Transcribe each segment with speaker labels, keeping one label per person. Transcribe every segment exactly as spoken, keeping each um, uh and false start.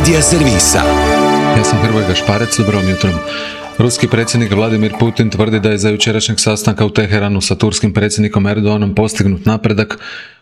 Speaker 1: Medija servisa.
Speaker 2: Ja sam Hrvoje Gašparec, dobrom jutrom. Ruski predsjednik Vladimir Putin tvrdi da je za jučerašnjeg sastanka u Teheranu sa turskim predsjednikom Erdoganom postignut napredak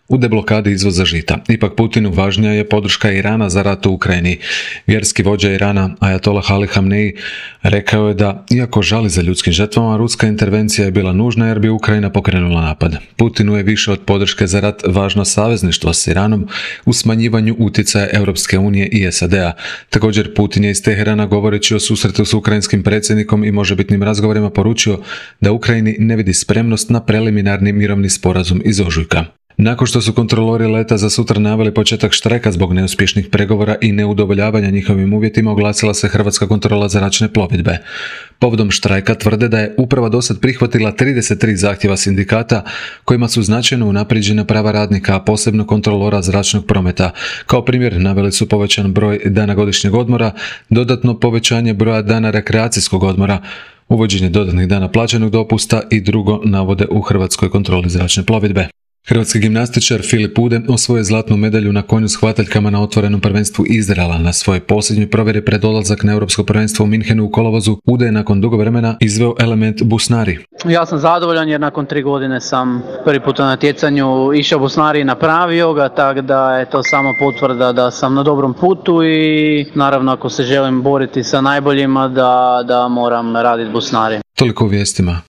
Speaker 2: u deblokadi izvoza žita. Ipak Putinu važnija je podrška Irana za rat u Ukrajini. Vjerski vođa Irana, Ajatolah Ali Hamneji, rekao je da, iako žali za ljudskim žrtvama, ruska intervencija je bila nužna jer bi Ukrajina pokrenula napad. Putinu je više od podrške za rat važno savezništvo s Iranom u smanjivanju utjecaja Europske unije i S A D-a. Također Putin je iz Teherana, govoreći o susretu s ukrajinskim predsjednikom i možebitnim razgovorima, poručio da Ukrajini ne vidi spremnost na preliminarni mirovni sporazum iz ožujka. Nakon što su kontrolori leta za sutra naveli početak štrajka zbog neuspješnih pregovora i neudovoljavanja njihovim uvjetima, oglasila se Hrvatska kontrola zračne plovidbe. Povodom štrajka tvrde da je uprava dosad prihvatila trideset tri zahtjeva sindikata kojima su značajno unaprijeđena prava radnika, a posebno kontrolora zračnog prometa. Kao primjer naveli su povećan broj dana godišnjeg odmora, dodatno povećanje broja dana rekreacijskog odmora, uvođenje dodatnih dana plaćenog dopusta i drugo, navode u Hrvatskoj kontroli zračne plovidbe. Hrvatski gimnastičar Filip Ude osvojio je zlatnu medalju na konju s hvataljkama na otvorenom prvenstvu Izraela. Na svojoj posljednjoj provjeri pred odlazak na europsko prvenstvo u Minhenu u kolovozu, Ude je nakon dugo vremena izveo element busnari.
Speaker 3: Ja sam zadovoljan jer nakon tri godine sam prvi put na natjecanju išao busnari i napravio ga, tako da je to samo potvrda da sam na dobrom putu i naravno ako se želim boriti sa najboljima da, da moram raditi busnari.
Speaker 2: Toliko u vijestima.